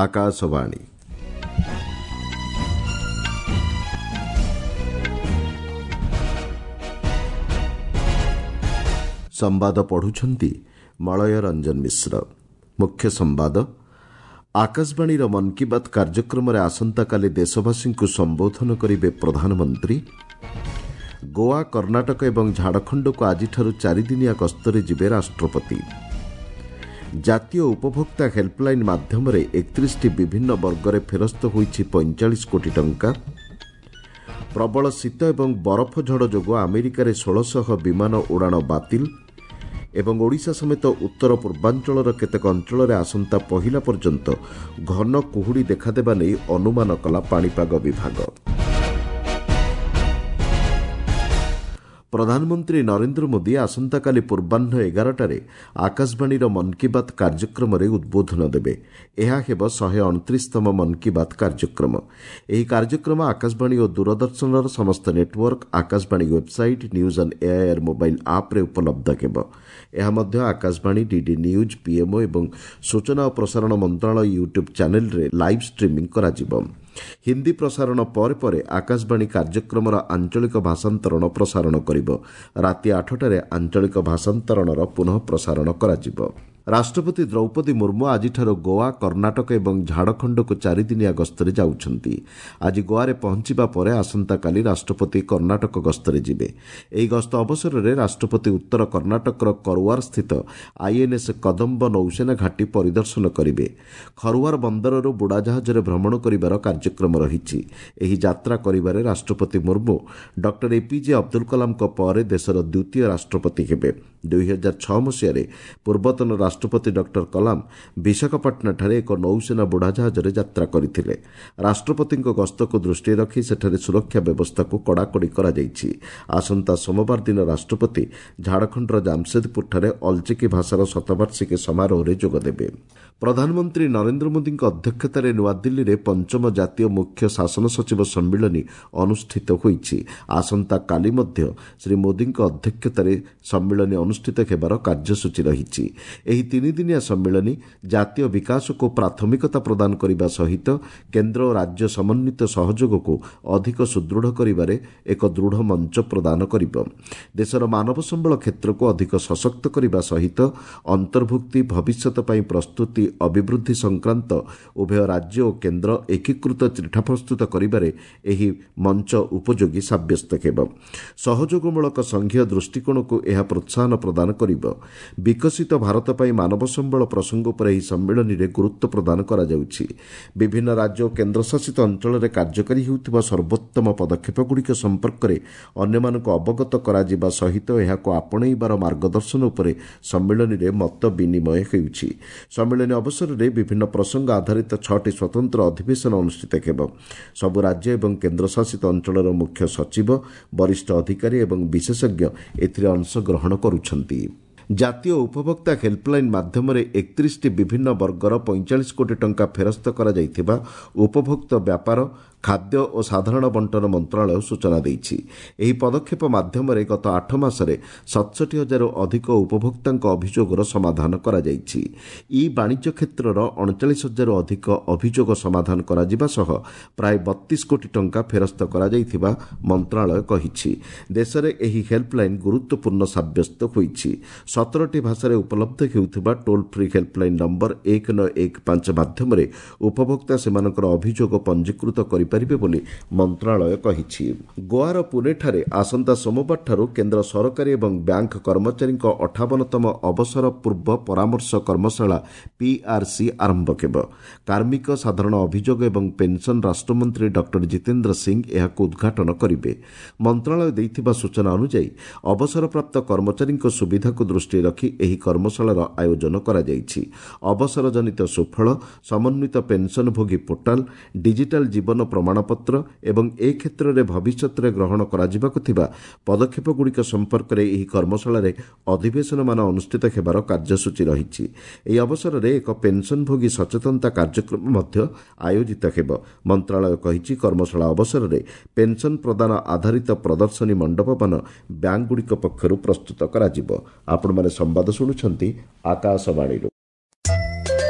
ଆକାଶବାଣୀ। ସମ୍ବାଦ ପଢ଼ୁଛନ୍ତି ମଳୟ ରଞ୍ଜନ ମିଶ୍ର। ମୁଖ୍ୟ ସମ୍ବାଦ। ଆକାଶବାଣୀର ମନ୍ କି ବାତ୍ କାର୍ଯ୍ୟକ୍ରମରେ ଆସନ୍ତାକାଲି ଦେଶବାସୀଙ୍କୁ ସମ୍ବୋଧନ କରିବେ ପ୍ରଧାନମନ୍ତ୍ରୀ। ଗୋଆ, କର୍ଣ୍ଣାଟକ ଏବଂ ଝାଡ଼ଖଣ୍ଡକୁ ଆଜିଠାରୁ ଚାରିଦିନିଆ ଗସ୍ତରେ ଯିବେ ରାଷ୍ଟ୍ରପତି। ଜାତୀୟ ଉପଭୋକ୍ତା ହେଲ୍ପଲାଇନ୍ ମାଧ୍ୟମରେ 31ଟି ବିଭିନ୍ନ ବର୍ଗରେ ଫେରସ୍ତ ହୋଇଛି 45 କୋଟି ଟଙ୍କା। ପ୍ରବଳ ଶୀତ ଏବଂ ବରଫ ଝଡ଼ ଯୋଗୁଁ ଆମେରିକାରେ 1600 ବିମାନ ଉଡ଼ାଣ ବାତିଲ ଏବଂ ଓଡ଼ିଶା ସମେତ ଉତ୍ତର ପୂର୍ବାଞ୍ଚଳର କେତେକ ଅଞ୍ଚଳରେ ଆସନ୍ତା ପହିଲା ପର୍ଯ୍ୟନ୍ତ ଘନ କୁହୁଡ଼ି ଦେଖାଦେବା ନେଇ ଅନୁମାନ କଲା ପାଣିପାଗ ବିଭାଗ। ପ୍ରଧାନମନ୍ତ୍ରୀ ନରେନ୍ଦ୍ର ମୋଦି ଆସନ୍ତାକାଲି ପୂର୍ବାହ୍ନ 11ଟାରେ ଆକାଶବାଣୀର ମନ୍ କି ବାତ୍ କାର୍ଯ୍ୟକ୍ରମରେ ଉଦ୍ବୋଧନ ଦେବେ। ଏହା ହେବ 129ତମ ମନ୍ କି ବାତ୍ କାର୍ଯ୍ୟକ୍ରମ। ଏହି କାର୍ଯ୍ୟକ୍ରମ ଆକାଶବାଣୀ ଓ ଦୂରଦର୍ଶନର ସମସ୍ତ network, Akashvani website, news on AIR mobile ଆପ୍ରେ ଉପଲବ୍ଧ ହେବ। ଏହା ମଧ୍ୟ ଆକାଶବାଣୀ, ଡିଡି ନ୍ୟୁଜ୍, ପିଏମ୍ଓ ଏବଂ ସୂଚନା ଓ ପ୍ରସାରଣ ମନ୍ତ୍ରଣାଳୟ ୟୁଟ୍ୟୁବ୍ ଚ୍ୟାନେଲ୍ରେ ଲାଇଭ୍ ଷ୍ଟ୍ରିମିଂ କରାଯିବ। ହିନ୍ଦୀ ପ୍ରସାରଣ ପରେ ପରେ ଆକାଶବାଣୀ କାର୍ଯ୍ୟକ୍ରମର ଆଞ୍ଚଳିକ ଭାଷାନ୍ତରଣ ପ୍ରସାରଣ କରିବ। ରାତି 8ଟାରେ ଆଞ୍ଚଳିକ ଭାଷାନ୍ତରଣର ପୁନଃ ପ୍ରସାରଣ କରାଯିବ। ରାଷ୍ଟ୍ରପତି ଦ୍ରୌପଦୀ ମୁର୍ମୁ ଆଜିଠାରୁ ଗୋଆ, କର୍ଣ୍ଣାଟକ ଏବଂ ଝାଡ଼ଖଣ୍ଡକୁ ଚାରିଦିନିଆ ଗସ୍ତରେ ଯାଉଛନ୍ତି। ଆଜି ଗୋଆରେ ପହଞ୍ଚିବା ପରେ ଆସନ୍ତାକାଲି ରାଷ୍ଟ୍ରପତି କର୍ଣ୍ଣାଟକ ଗସ୍ତରେ ଯିବେ। ଏହି ଗସ୍ତ ଅବସରରେ ରାଷ୍ଟ୍ରପତି ଉତ୍ତର କର୍ଣ୍ଣାଟକର କରୱାରସ୍ଥିତ ଆଇଏନ୍ଏସ୍ କଦମ୍ବ ନୌସେନା ଘାଟି ପରିଦର୍ଶନ କରିବେ। ଖରୱାର ବନ୍ଦରରୁ ବୁଡ଼ାଜାହାଜରେ ଭ୍ରମଣ କରିବାର କାର୍ଯ୍ୟକ୍ରମ ରହିଛି। ଏହି ଯାତ୍ରା କରିବାରେ ରାଷ୍ଟ୍ରପତି ମୁର୍ମୁ ଡକ୍ଟର ଏପିଜେ ଅବଦୁଲ କଲାମଙ୍କ ପରେ ଦେଶର ଦ୍ୱିତୀୟ ରାଷ୍ଟ୍ରପତି ହେବେ। 2006 ମସିହାରେ ପୂର୍ବତନ ରାଷ୍ଟ୍ରପତି ଡକ୍ଟର କଲାମ ବିଶାଖାପାଟଣାଠାରେ ଏକ ନୌସେନା ବୁଡ଼ାଜାହାଜରେ ଯାତ୍ରା କରିଥିଲେ। ରାଷ୍ଟ୍ରପତିଙ୍କ ଗସ୍ତକୁ ଦୃଷ୍ଟିରେ ରଖି ସେଠାରେ ସୁରକ୍ଷା ବ୍ୟବସ୍ଥାକୁ କଡ଼ାକଡ଼ି କରାଯାଇଛି। ଆସନ୍ତା ସୋମବାର ଦିନ ରାଷ୍ଟ୍ରପତି ଝାଡ଼ଖଣ୍ଡର ଜାମସେଦପୁରଠାରେ ଅଲଚିକି ଭାଷାର ଶତବାର୍ଷିକୀ ସମାରୋହରେ ଯୋଗଦେବେ। ପ୍ରଧାନମନ୍ତ୍ରୀ ନରେନ୍ଦ୍ର ମୋଦିଙ୍କ ଅଧ୍ୟକ୍ଷତାରେ ନୂଆଦିଲ୍ଲୀରେ ପଞ୍ଚମ ଜାତୀୟ ମୁଖ୍ୟ ଶାସନ ସଚିବ ସମ୍ମିଳନୀ ଅନୁଷ୍ଠିତ ହୋଇଛି। ଆସନ୍ତାକାଲି ମଧ୍ୟ ଶ୍ରୀ ମୋଦିଙ୍କ ଅଧ୍ୟକ୍ଷତାରେ ସମ୍ମିଳନୀ ଅନୁଷ୍ଠିତ ହେବାର କାର୍ଯ୍ୟସୂଚୀ ରହିଛି। ଏହି ତିନିଦିନିଆ ସମ୍ମିଳନୀ ଜାତୀୟ ବିକାଶକୁ ପ୍ରାଥମିକତା ପ୍ରଦାନ କରିବା ସହିତ କେନ୍ଦ୍ର ଓ ରାଜ୍ୟ ସମନ୍ୱିତ ସହଯୋଗକୁ ଅଧିକ ସୁଦୃଢ଼ କରିବାରେ ଏକ ଦୃଢ଼ ମଞ୍ଚ ପ୍ରଦାନ କରିବ। ଦେଶର ମାନବ ସମ୍ବଳ କ୍ଷେତ୍ରକୁ ଅଧିକ ସଶକ୍ତ କରିବା ସହିତ ଅନ୍ତର୍ଭୁକ୍ତି, ଭବିଷ୍ୟତ ପାଇଁ ପ୍ରସ୍ତୁତି, ଅଭିବୃଦ୍ଧି ସଂକ୍ରାନ୍ତ ଉଭୟ ରାଜ୍ୟ ଓ କେନ୍ଦ୍ର ଏକୀକୃତ ଚିଠା ପ୍ରସ୍ତୁତ କରିବାରେ ଏହି ମଞ୍ଚ ଉପଯୋଗୀ ସାବ୍ୟସ୍ତ ହେବ। ସହଯୋଗମୂଳକ ସଂଘୀୟ ଦୃଷ୍ଟିକୋଣକୁ ଏହା ପ୍ରୋତ୍ସାହନ ପ୍ରଦାନ କରିବ। ବିକଶିତ ଭାରତ ପାଇଁ ମାନବ ସମ୍ବଳ ପ୍ରସଙ୍ଗ ଉପରେ ଏହି ସମ୍ମିଳନୀରେ ଗୁରୁତ୍ୱ ପ୍ରଦାନ କରାଯାଉଛି। ବିଭିନ୍ନ ରାଜ୍ୟ ଓ କେନ୍ଦ୍ରଶାସିତ ଅଞ୍ଚଳରେ କାର୍ଯ୍ୟକାରୀ ହେଉଥିବା ସର୍ବୋତ୍ତମ ପଦକ୍ଷେପଗୁଡ଼ିକ ସମ୍ପର୍କରେ ଅନ୍ୟମାନଙ୍କୁ ଅବଗତ କରାଯିବା ସହିତ ଏହାକୁ ଆପଣେଇବାର ମାର୍ଗଦର୍ଶନ ଉପରେ ସମ୍ମିଳନୀରେ ମତ ବିନିମୟ ହେଉଛି। ସମ୍ମିଳନୀ ଅବସରରେ ବିଭିନ୍ନ ପ୍ରସଙ୍ଗ ଆଧାରିତ 6ଟି ସ୍ୱତନ୍ତ୍ର ଅଧିବେଶନ ଅନୁଷ୍ଠିତ ହେବ। ସବୁ ରାଜ୍ୟ ଏବଂ କେନ୍ଦ୍ରଶାସିତ ଅଞ୍ଚଳର ମୁଖ୍ୟ ସଚିବ, ବରିଷ୍ଠ ଅଧିକାରୀ ଏବଂ ବିଶେଷଜ୍ଞ ଏଥିରେ ଅଂଶଗ୍ରହଣ କରୁଛନ୍ତି। ଜାତୀୟ ଉପଭୋକ୍ତା ହେଲ୍ପଲାଇନ୍ ମାଧ୍ୟମରେ 31ଟି ବିଭିନ୍ନ ବର୍ଗର 45 କୋଟି ଟଙ୍କା ଫେରସ୍ତ କରାଯାଇଥିବା ଉପଭୋକ୍ତା ବ୍ୟାପାର, ଖାଦ୍ୟ ଓ ସାଧାରଣ ବଣ୍ଟନ ମନ୍ତ୍ରଣାଳୟ ସୂଚନା ଦେଇଛି। ଏହି ପଦକ୍ଷେପ ମାଧ୍ୟମରେ ଗତ 8 ମାସରେ 67 ହଜାରରୁ ଅଧିକ ଉପଭୋକ୍ତାଙ୍କ ଅଭିଯୋଗର ସମାଧାନ କରାଯାଇଛି। ଇ ବାଣିଜ୍ୟ କ୍ଷେତ୍ରର 39 ହଜାରରୁ ଅଧିକ ଅଭିଯୋଗ ସମାଧାନ କରାଯିବା ସହ ପ୍ରାୟ 32 କୋଟି ଟଙ୍କା ଫେରସ୍ତ କରାଯାଇଥିବା ମନ୍ତ୍ରଣାଳୟ କହିଛି। ଦେଶରେ ଏହି ହେଲ୍ପଲାଇନ୍ ଗୁରୁତ୍ୱପୂର୍ଣ୍ଣ ସାବ୍ୟସ୍ତ ହୋଇଛି। 17ଟି ଭାଷାରେ ଉପଲବ୍ଧ ହେଉଥିବା ଟୋଲ୍ ଫ୍ରି ହେଲ୍ପଲାଇନ୍ ନମ୍ବର 1915 ମାଧ୍ୟମରେ ଉପଭୋକ୍ତା ସେମାନଙ୍କର ଅଭିଯୋଗ ପଞ୍ଜୀକୃତ କରିପାରିବେ ବୋଲି ମନ୍ତ୍ରଣାଳୟ କହିଛି। ଗୋଆର ପୁନେଠାରେ ଆସନ୍ତା ସୋମବାରଠାରୁ କେନ୍ଦ୍ର ସରକାରୀ ଏବଂ ବ୍ୟାଙ୍କ କର୍ମଚାରୀଙ୍କ 58ତମ ଅବସର ପୂର୍ବ ପରାମର୍ଶ କର୍ମଶାଳା ପିଆର୍ସି ଆରମ୍ଭ ହେବ। କାର୍ମିକ, ସାଧାରଣ ଅଭିଯୋଗ ଏବଂ ପେନ୍ସନ୍ ରାଷ୍ଟ୍ରମନ୍ତ୍ରୀ ଡକ୍ଟର ଜିତେନ୍ଦ୍ର ସିଂ ଏହାକୁ ଉଦ୍ଘାଟନ କରିବେ। ମନ୍ତ୍ରଣାଳୟ ଦେଇଥିବା ସୂଚନା ଅନୁଯାୟୀ ଅବସରପ୍ରାପ୍ତ କର୍ମଚାରୀଙ୍କ ସୁବିଧାକୁ ଦୃଷ୍ଟିରେ ରଖି ଏହି କର୍ମଶାଳାର ଆୟୋଜନ କରାଯାଇଛି। ଅବସରଜନିତ ସୁଫଳ, ସମନ୍ୱିତ ପେନ୍ସନ୍ଭୋଗୀ ପୋର୍ଟାଲ୍, ଡିଜିଟାଲ୍ ଜୀବନ ପ୍ରମାଣପତ୍ର ଏବଂ ଏ କ୍ଷେତ୍ରରେ ଭବିଷ୍ୟତରେ ଗ୍ରହଣ କରାଯିବାକୁ ଥିବା ପଦକ୍ଷେପଗୁଡ଼ିକ ସମ୍ପର୍କରେ ଏହି କର୍ମଶାଳାରେ ଅଧିବେଶନମାନ ଅନୁଷ୍ଠିତ ହେବାର କାର୍ଯ୍ୟସୂଚୀ ରହିଛି। ଏହି ଅବସରରେ ଏକ ପେନ୍ସନ୍ଭୋଗୀ ସଚେତନତା କାର୍ଯ୍ୟକ୍ରମ ମଧ୍ୟ ଆୟୋଜିତ ହେବ। ମନ୍ତ୍ରଣାଳୟ କହିଛି, କର୍ମଶାଳା ଅବସରରେ ପେନ୍ସନ୍ ପ୍ରଦାନ ଆଧାରିତ ପ୍ରଦର୍ଶନୀ ମଣ୍ଡପମାନ ବ୍ୟାଙ୍କଗୁଡ଼ିକ ପକ୍ଷରୁ ପ୍ରସ୍ତୁତ କରାଯିବ। ଆପଣମାନେ ସମ୍ବାଦ ଶୁଣୁଛନ୍ତି ଆକାଶବାଣୀରୁ।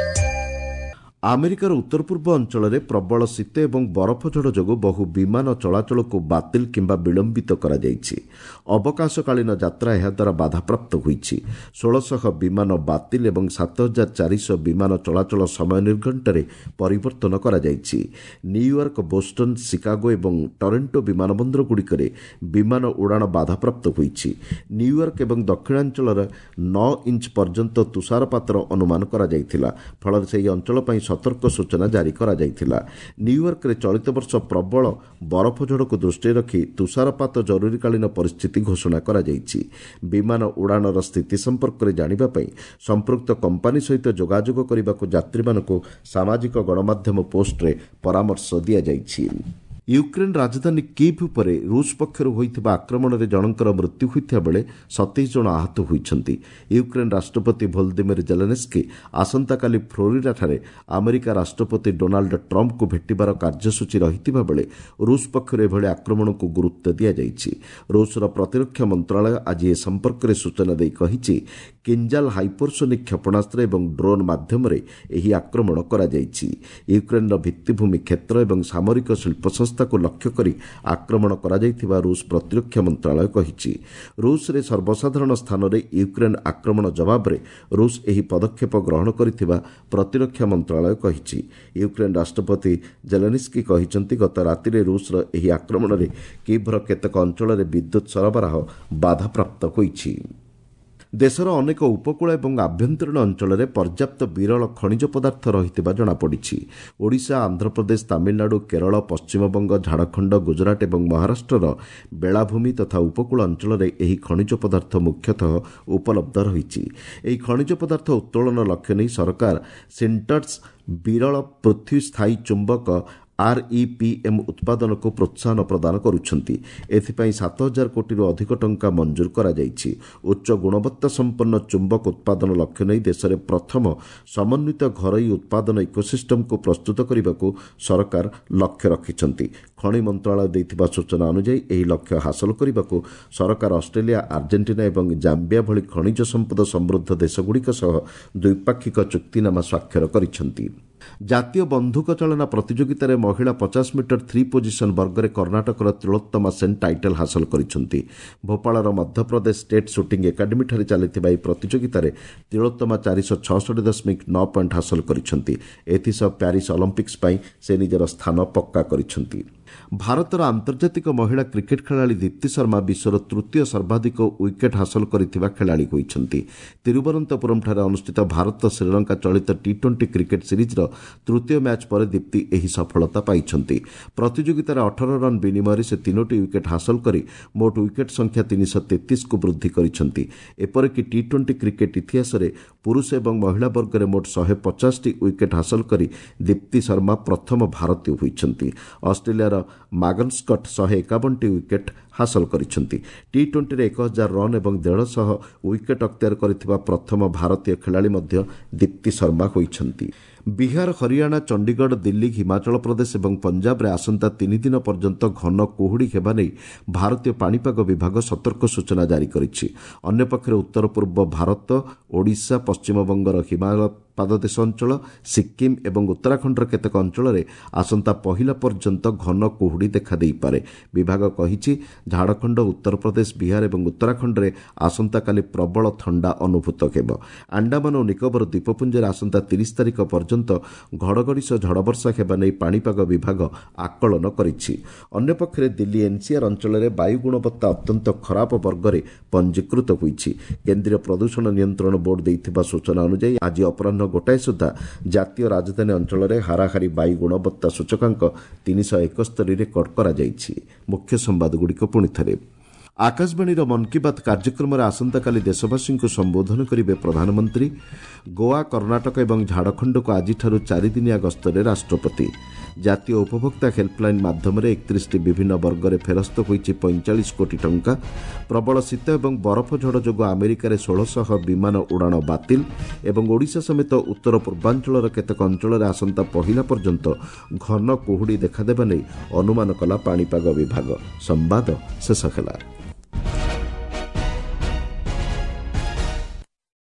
ଆମେରିକାର ଉତ୍ତର ପୂର୍ବ ଅଞ୍ଚଳରେ ପ୍ରବଳ ଶୀତ ଏବଂ ବରଫ ଝଡ଼ ଯୋଗୁଁ ବହୁ ବିମାନ ଚଳାଚଳକୁ ବାତିଲ କିମ୍ବା ବିଳମ୍ବିତ କରାଯାଇଛି। ଅବକାଶକାଳୀନ ଯାତ୍ରା ଏହାଦ୍ୱାରା ବାଧାପ୍ରାପ୍ତ ହୋଇଛି। 1600 ବିମାନ ବାତିଲ ଏବଂ 7400 ବିମାନ ଚଳାଚଳ ସମୟ ନିର୍ଘଣ୍ଟରେ ପରିବର୍ତ୍ତନ କରାଯାଇଛି। ନ୍ୟୁୟର୍କ, ବୋଷ୍ଟନ, ଶିକାଗୋ ଏବଂ ଟରେଣ୍ଟୋ ବିମାନ ବନ୍ଦରଗୁଡ଼ିକରେ ବିମାନ ଉଡ଼ାଣ ବାଧାପ୍ରାପ୍ତ ହୋଇଛି। ନ୍ୟୁୟର୍କ ଏବଂ ଦକ୍ଷିଣାଞ୍ଚଳରେ 9 ଇଞ୍ଚ ପର୍ଯ୍ୟନ୍ତ ତୁଷାରପାତର ଅନୁମାନ କରାଯାଇଥିଲା। ଫଳରେ ସେହି ଅଞ୍ଚଳ ପାଇଁ ସତର୍କ ସୂଚନା ଜାରି କରାଯାଇଥିଲା। ନ୍ୟୁୟର୍କରେ ଚଳିତ ବର୍ଷ ପ୍ରବଳ ବରଫ ଝଡ଼କୁ ଦୃଷ୍ଟିରେ ରଖି ତୁଷାରପାତ ଜରୁରୀକାଳୀନ ପରିସ୍ଥିତି ଘୋଷଣା କରାଯାଇଛି। ବିମାନ ଉଡ଼ାଣର ସ୍ଥିତି ସମ୍ପର୍କରେ ଜାଣିବା ପାଇଁ ସମ୍ପୃକ୍ତ କମ୍ପାନୀ ସହିତ ଯୋଗାଯୋଗ କରିବାକୁ ଯାତ୍ରୀମାନଙ୍କୁ ସାମାଜିକ ଗଣମାଧ୍ୟମ ପୋଷ୍ଟରେ ପରାମର୍ଶ ଦିଆଯାଇଛି। ୟୁକ୍ରେନ୍ ରାଜଧାନୀ କିଭ୍ ଉପରେ ରୁଷ ପକ୍ଷରୁ ହୋଇଥିବା ଆକ୍ରମଣରେ ଜଣଙ୍କର ମୃତ୍ୟୁ ହୋଇଥିବା ବେଳେ 27 ଜଣ ଆହତ ହୋଇଛନ୍ତି। ୟୁକ୍ରେନ୍ ରାଷ୍ଟ୍ରପତି ଭୋଲଦିମିର ଜେଲେନ୍ସ୍କି ଆସନ୍ତାକାଲି ଫ୍ଲୋରିଡାଠାରେ ଆମେରିକା ରାଷ୍ଟ୍ରପତି ଡୋନାଲ୍ଡ ଟ୍ରମ୍ପଙ୍କୁ ଭେଟିବାର କାର୍ଯ୍ୟସୂଚୀ ରହିଥିବା ବେଳେ ରୁଷ ପକ୍ଷରୁ ଏଭଳି ଆକ୍ରମଣକୁ ଗୁରୁତ୍ୱ ଦିଆଯାଇଛି। ରୁଷର ପ୍ରତିରକ୍ଷା ମନ୍ତ୍ରଣାଳୟ ଆଜି ଏ ସମ୍ପର୍କରେ ସୂଚନା ଦେଇ କହିଛି, କିଞ୍ଜାଲ ହାଇପରସୋନିକ୍ କ୍ଷେପଣାସ୍ତ୍ର ଏବଂ ଡ୍ରୋନ୍ ମାଧ୍ୟମରେ ଏହି ଆକ୍ରମଣ କରାଯାଇଛି। ୟୁକ୍ରେନ୍ର ଭିତ୍ତିଭୂମି କ୍ଷେତ୍ର ଏବଂ ସାମରିକ ଶିଳ୍ପ ସଂସ୍ଥାକୁ ଲକ୍ଷ୍ୟ କରି ଆକ୍ରମଣ କରାଯାଇଥିବା ରୁଷ ପ୍ରତିରକ୍ଷା ମନ୍ତ୍ରଣାଳୟ କହିଛି। ରୁଷରେ ସର୍ବସାଧାରଣ ସ୍ଥାନରେ ୟୁକ୍ରେନ୍ ଆକ୍ରମଣ ଜବାବରେ ରୁଷ ଏହି ପଦକ୍ଷେପ ଗ୍ରହଣ କରିଥିବା ପ୍ରତିରକ୍ଷା ମନ୍ତ୍ରଣାଳୟ କହିଛି। ୟୁକ୍ରେନ୍ ରାଷ୍ଟ୍ରପତି ଜେଲେନ୍ସ୍କି କହିଛନ୍ତି, ଗତ ରାତିରେ ରୁଷର ଏହି ଆକ୍ରମଣରେ କିଭ୍ର କେତେକ ଅଞ୍ଚଳରେ ବିଦ୍ୟୁତ୍ ସରବରାହ ବାଧାପ୍ରାପ୍ତ ହୋଇଛି। ଦେଶର ଅନେକ ଉପକୂଳ ଏବଂ ଆଭ୍ୟନ୍ତରୀଣ ଅଞ୍ଚଳରେ ପର୍ଯ୍ୟାପ୍ତ ବିରଳ ଖଣିଜ ପଦାର୍ଥ ରହିଥିବା ଜଣାପଡ଼ିଛି। ଓଡ଼ିଶା, ଆନ୍ଧ୍ରପ୍ରଦେଶ, ତାମିଲନାଡୁ, କେରଳ, ପଶ୍ଚିମବଙ୍ଗ, ଝାଡ଼ଖଣ୍ଡ, ଗୁଜରାଟ ଏବଂ ମହାରାଷ୍ଟ୍ରର ବେଳାଭୂମି ତଥା ଉପକୂଳ ଅଞ୍ଚଳରେ ଏହି ଖଣିଜ ପଦାର୍ଥ ମୁଖ୍ୟତଃ ଉପଲବ୍ଧ ରହିଛି। ଏହି ଖଣିଜ ପଦାର୍ଥ ଉତ୍ତୋଳନ ଲକ୍ଷ୍ୟ ନେଇ ସରକାର ସିଣ୍ଟର୍ସ ବିରଳ ପୃଥ୍ୱୀ ସ୍ଥାୟୀ ଚୁମ୍ବକ ଆର୍ଇପିଏମ୍ ଉତ୍ପାଦନକୁ ପ୍ରୋତ୍ସାହନ ପ୍ରଦାନ କରୁଛନ୍ତି। ଏଥିପାଇଁ 7000 କୋଟିରୁ ଅଧିକ ଟଙ୍କା ମଞ୍ଜୁର କରାଯାଇଛି। ଉଚ୍ଚ ଗୁଣବତ୍ତା ସମ୍ପନ୍ନ ଚୁମ୍ବକ ଉତ୍ପାଦନ ଲକ୍ଷ୍ୟ ନେଇ ଦେଶରେ ପ୍ରଥମ ସମନ୍ୱିତ ଘରୋଇ ଉତ୍ପାଦନ ଇକୋସିଷ୍ଟମକୁ ପ୍ରସ୍ତୁତ କରିବାକୁ ସରକାର ଲକ୍ଷ୍ୟ ରଖିଛନ୍ତି। ଖଣି ମନ୍ତ୍ରଣାଳୟ ଦେଇଥିବା ସୂଚନା ଅନୁଯାୟୀ ଏହି ଲକ୍ଷ୍ୟ ହାସଲ କରିବାକୁ ସରକାର ଅଷ୍ଟ୍ରେଲିଆ, ଆର୍ଜେଣ୍ଟିନା ଏବଂ ଜାମ୍ବିଆ ଭଳି ଖଣିଜ ସମ୍ପଦ ସମୃଦ୍ଧ ଦେଶଗୁଡ଼ିକ ସହ ଦ୍ୱିପାକ୍ଷିକ ଚୁକ୍ତିନାମା ସ୍ୱାକ୍ଷର କରିଛନ୍ତି। ଜାତୀୟ ବନ୍ଧୁକ ଚାଳନା ପ୍ରତିଯୋଗିତାରେ ମହିଳା 50 ମିଟର ଥ୍ରୀ ପୋଜିସନ୍ ବର୍ଗରେ କର୍ଣ୍ଣାଟକର ତିଳୋତ୍ତମା ସେନ୍ ଟାଇଟଲ୍ ହାସଲ କରିଛନ୍ତି। ଭୋପାଳର ମଧ୍ୟପ୍ରଦେଶ ଷ୍ଟେଟ୍ ସୁଟିଂ ଏକାଡେମୀଠାରେ ଚାଲିଥିବା ଏହି ପ୍ରତିଯୋଗିତାରେ ତିଳୋତ୍ତମା 466.9 ପଏଣ୍ଟ ହାସଲ କରିଛନ୍ତି। ଏଥିସହ ପ୍ୟାରିସ୍ ଅଲିମ୍ପିକ୍ସ ପାଇଁ ସେ ନିଜର ସ୍ଥାନ ପକ୍କା କରିଛନ୍ତି। ଭାରତର ଆନ୍ତର୍ଜାତିକ ମହିଳା କ୍ରିକେଟ୍ ଖେଳାଳି ଦୀପ୍ତି ଶର୍ମା ବିଶ୍ୱର ତୃତୀୟ ସର୍ବାଧିକ ୱିକେଟ୍ ହାସଲ କରିଥିବା ଖେଳାଳି ହୋଇଛନ୍ତି। ତିରୁବନନ୍ତପୁରମ୍ଠାରେ ଅନୁଷ୍ଠିତ ଭାରତ ଶ୍ରୀଲଙ୍କା ଚଳିତ ଟି-20 କ୍ରିକେଟ୍ ସିରିଜ୍ର ତୃତୀୟ ମ୍ୟାଚ୍ ପରେ ଦୀପ୍ତି ଏହି ସଫଳତା ପାଇଛନ୍ତି। ପ୍ରତିଯୋଗିତାରେ 18 ରନ୍ ବିନିମୟରେ ସେ 3ଟି ୱିକେଟ୍ ହାସଲ କରି ମୋଟ ୱିକେଟ୍ ସଂଖ୍ୟା 333କୁ ବୃଦ୍ଧି କରିଛନ୍ତି। ଏପରିକି ଟି-20 କ୍ରିକେଟ୍ ଇତିହାସରେ ପୁରୁଷ ଏବଂ ମହିଳା ବର୍ଗରେ ମୋଟ 150ଟି ୱିକେଟ୍ ହାସଲ କରି ଦୀପ୍ତି ଶର୍ମା ପ୍ରଥମ ଭାରତୀୟ ହୋଇଛନ୍ତି। ଅଷ୍ଟ୍ରେଲିଆର ମାଗନ୍ ସ୍କଟ୍ 151ଟି ୱିକେଟ୍ ହାସଲ କରିଛନ୍ତି। ଟି-20ରେ 1000 ରନ୍ ଏବଂ 150 ୱିକେଟ୍ ଅକ୍ତିଆର କରିଥିବା ପ୍ରଥମ ଭାରତୀୟ ଖେଳାଳି ମଧ୍ୟ ଦୀପ୍ତି ଶର୍ମା ହୋଇଛନ୍ତି। ବିହାର, ହରିୟାଣା, ଚଣ୍ଡିଗଡ଼, ଦିଲ୍ଲୀ, ହିମାଚଳ ପ୍ରଦେଶ ଏବଂ ପଞ୍ଜାବରେ ଆସନ୍ତା 3 ଦିନ ପର୍ଯ୍ୟନ୍ତ ଘନ କୁହୁଡ଼ି ହେବା ନେଇ ଭାରତୀୟ ପାଣିପାଗ ବିଭାଗ ସତର୍କ ସୂଚନା ଜାରି କରିଛି। ଅନ୍ୟପକ୍ଷରେ ଉତ୍ତର ପୂର୍ବ ଭାରତ, ଓଡ଼ିଶା, ପଶ୍ଚିମବଙ୍ଗର ହିମାଳୟ ପାଦଦେଶ ଅଞ୍ଚଳ, ସିକ୍କିମ୍ ଏବଂ ଉତ୍ତରାଖଣ୍ଡର କେତେକ ଅଞ୍ଚଳରେ ଆସନ୍ତା ପହିଲା ପର୍ଯ୍ୟନ୍ତ ଘନ କୁହୁଡ଼ି ଦେଖାଦେଇପାରେ। ବିଭାଗ କହିଛି, ଝାଡ଼ଖଣ୍ଡ, ଉତ୍ତରପ୍ରଦେଶ, ବିହାର ଏବଂ ଉତ୍ତରାଖଣ୍ଡରେ ଆସନ୍ତାକାଲି ପ୍ରବଳ ଥଣ୍ଡା ଅନୁଭୂତ ହେବ। ଆଣ୍ଡାମାନ ଓ ନିକୋବର ଦ୍ୱୀପପୁଞ୍ଜରେ ଆସନ୍ତା 30 ତାରିଖ ପର୍ଯ୍ୟନ୍ତ ଘଡ଼ଘଡ଼ି ସହ ଝଡ଼ବର୍ଷା ହେବା ନେଇ ପାଣିପାଗ ବିଭାଗ ଆକଳନ କରିଛି। ଅନ୍ୟପକ୍ଷରେ ଦିଲ୍ଲୀ ଏନ୍ସିଆର୍ ଅଞ୍ଚଳରେ ବାୟୁ ଗୁଣବତ୍ତା ଅତ୍ୟନ୍ତ ଖରାପ ବର୍ଗରେ ପଞ୍ଜୀକୃତ ହୋଇଛି। କେନ୍ଦ୍ରୀୟ ପ୍ରଦୂଷଣ ନିୟନ୍ତ୍ରଣ ବୋର୍ଡ ଦେଇଥିବା ସୂଚନା ଅନୁଯାୟୀ ଆଜି ଅପରାହ୍ନ 1 ସୁଦ୍ଧା ଜାତୀୟ ରାଜଧାନୀ ଅଞ୍ଚଳରେ ହାରାହାରି ବାୟୁ ଗୁଣବତ୍ତା ସୂଚକାଙ୍କ 371 ରେକର୍ଡ କରାଯାଇଛି। ମୁଖ୍ୟ ସମ୍ବାଦଗୁଡ଼ିକ ପୁଣିଥରେ। ଆକାଶବାଣୀର ମନ୍ କି ବାତ୍ କାର୍ଯ୍ୟକ୍ରମରେ ଆସନ୍ତାକାଲି ଦେଶବାସୀଙ୍କୁ ସମ୍ବୋଧନ କରିବେ ପ୍ରଧାନମନ୍ତ୍ରୀ। ଗୋଆ, କର୍ଣ୍ଣାଟକ ଏବଂ ଝାଡ଼ଖଣ୍ଡକୁ ଆଜିଠାରୁ 4 ଦିନିଆ ଗସ୍ତରେ ରାଷ୍ଟ୍ରପତି। ଜାତୀୟ ଉପଭୋକ୍ତା ହେଲ୍ପଲାଇନ୍ ମାଧ୍ୟମରେ 31ଟି ବିଭିନ୍ନ ବର୍ଗରେ ଫେରସ୍ତ ହୋଇଛି 45 କୋଟି ଟଙ୍କା। ପ୍ରବଳ ଶୀତ ଏବଂ ବରଫ ଝଡ଼ ଯୋଗୁଁ ଆମେରିକାରେ 1600 ବିମାନ ଉଡ଼ାଣ ବାତିଲ ଏବଂ ଓଡ଼ିଶା ସମେତ ଉତ୍ତର ପୂର୍ବାଞ୍ଚଳର କେତେକ ଅଞ୍ଚଳରେ ଆସନ୍ତା ପହିଲା ପର୍ଯ୍ୟନ୍ତ ଘନ କୁହୁଡ଼ି ଦେଖାଦେବା ନେଇ ଅନୁମାନ କଲା ପାଣିପାଗ ବିଭାଗ। ସମ୍ବାଦ ଶେଷ ହେଲା।